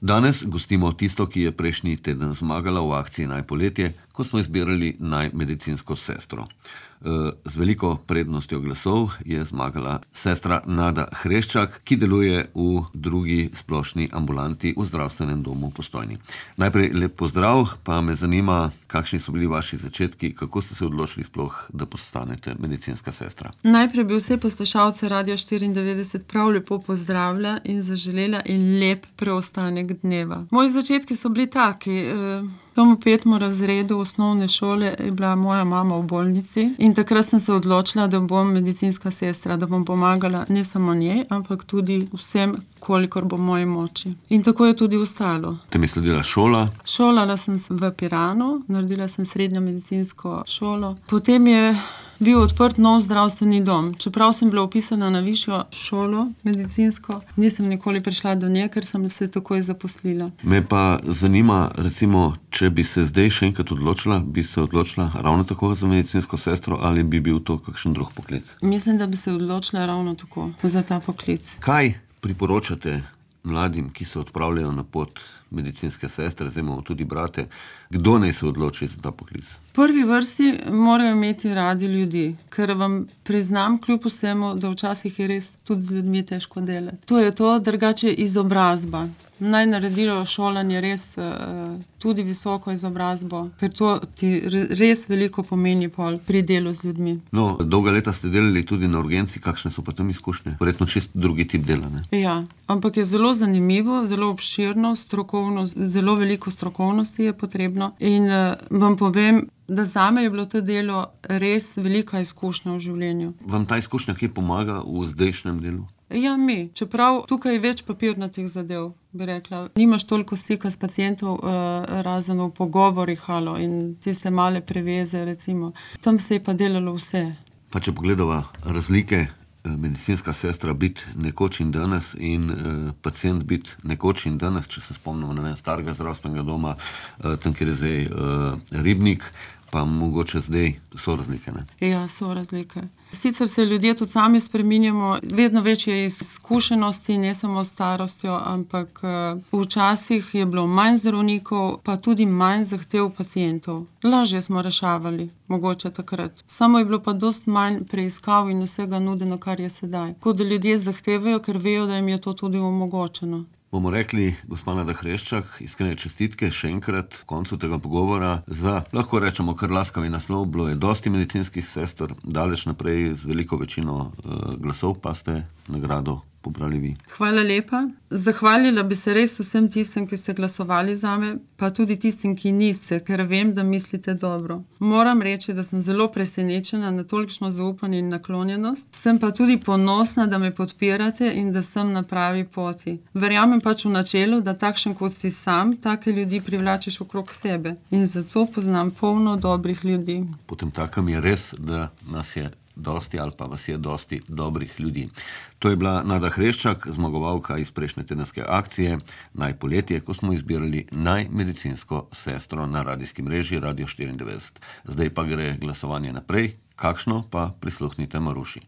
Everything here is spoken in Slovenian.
Danes gostimo tisto, ki je prejšnji teden zmagala v akciji Naj poletje, ko smo izbirali naj medicinsko sestro. Z veliko prednostjo glasov je zmagala sestra Nada Hreščak, ki deluje v drugi splošni ambulanti v zdravstvenem domu v Postojni. Najprej lep pozdrav, pa me zanima, kakšni so bili vaši začetki, kako ste se odločili sploh, da postanete medicinska sestra? Najprej bi vse poslušalce Radia 94 prav lepo pozdravila in zaželela in lep preostanek dneva. Moji začetki so bili taki. V 5. razredu osnovne šole je bila moja mama v bolnici in takrat sem se odločila, da bom medicinska sestra, da bom pomagala ne samo njej, ampak tudi vsem, kolikor bo v moji moči. In tako je tudi ostalo. Te mi sledila šola? Šolala sem se v Piranu, naredila sem srednjo medicinsko šolo. Potem je bil odprt nov zdravstveni dom. Čeprav sem bila vpisana na višjo šolo medicinsko, nisem nikoli prišla do nje, ker sem se takoj zaposlila. Me pa zanima, recimo, če bi se zdaj še enkrat odločila, bi se odločila ravno tako za medicinsko sestro ali bi bil to kakšen drug poklic? Mislim, da bi se odločila ravno tako za ta poklic. Kaj priporočate mladim, ki se odpravljajo na pot medicinske sestre, zdaj imamo tudi brate, kdo naj se odloči za ta poklic? V prvi vrsti morajo imeti radi ljudi, ker vam priznam kljub vsemu, da včasih je res tudi z ljudmi težko delati. To je to, drugače izobrazba. Naj naredilo šolanje res tudi visoko izobrazbo, ker to ti res veliko pomeni pol pri delu z ljudmi. No, dolga leta ste delali tudi na urgenci, kakšne so pa tam izkušnje? Verjetno čisto drugi tip dela, ne? Ja, ampak je zelo zanimivo, zelo obširno, strokovno, zelo veliko strokovnosti je potrebno in vam povem, da zame je bilo to delo res velika izkušnja v življenju. Vam ta izkušnja kje pomaga v zdajšnjem delu? Ja, čeprav tukaj je več papirnatih zadev, bi rekla. Nimaš toliko stika s pacientov, razen v pogovorih in tiste male preveze, recimo. Tam se je pa delalo vse. Pa če pogledava razlike, medicinska sestra biti nekoč in danes in pacient biti nekoč in danes, če se spomnimo, starega zdravstvenega doma, tam, kjer je zdaj Ribnik, pa mogoče zdaj so razlike, ne? Ja, so razlike. Sicer se ljudje tudi sami spreminjamo, vedno večje izkušenosti, ne samo starostjo, ampak včasih je bilo manj zdravnikov, pa tudi manj zahtev pacientov. Lažje smo rešavali, mogoče takrat. Samo je bilo pa dosti manj preiskav in vsega nudeno, kar je sedaj. Tako da ljudje zahtevajo, ker vejo, da jim je to tudi omogočeno. Bomo rekli, gospa Nada Hreščak, iskrene čestitke še enkrat v koncu tega pogovora za, lahko rečemo, kar laskavi naslov. Bilo je dosti medicinskih sester, daleč naprej z veliko večino glasov, pa ste nagrado pobrali vi. Hvala lepa. Zahvalila bi se res vsem tistim, ki ste glasovali zame, pa tudi tistim, ki niste, ker vem, da mislite dobro. Moram reči, da sem zelo presenečena na tolikšno zaupanje in naklonjenost. Sem pa tudi ponosna, da me podpirate in da sem na pravi poti. Verjamem pač v načelu, da takšen kot si sam, take ljudi privlačiš okrog sebe. In zato poznam polno dobrih ljudi. Potem takem je res, da nas je dosti ali pa vas je dosti dobrih ljudi. To je bila Nada Hreščak, zmagovalka iz prejšnje tedenske akcije Naj poletje, ko smo izbirali naj medicinsko sestro na radijski mreži Radio 94. Zdaj pa gre glasovanje naprej, kakšno pa prisluhnite Maruši.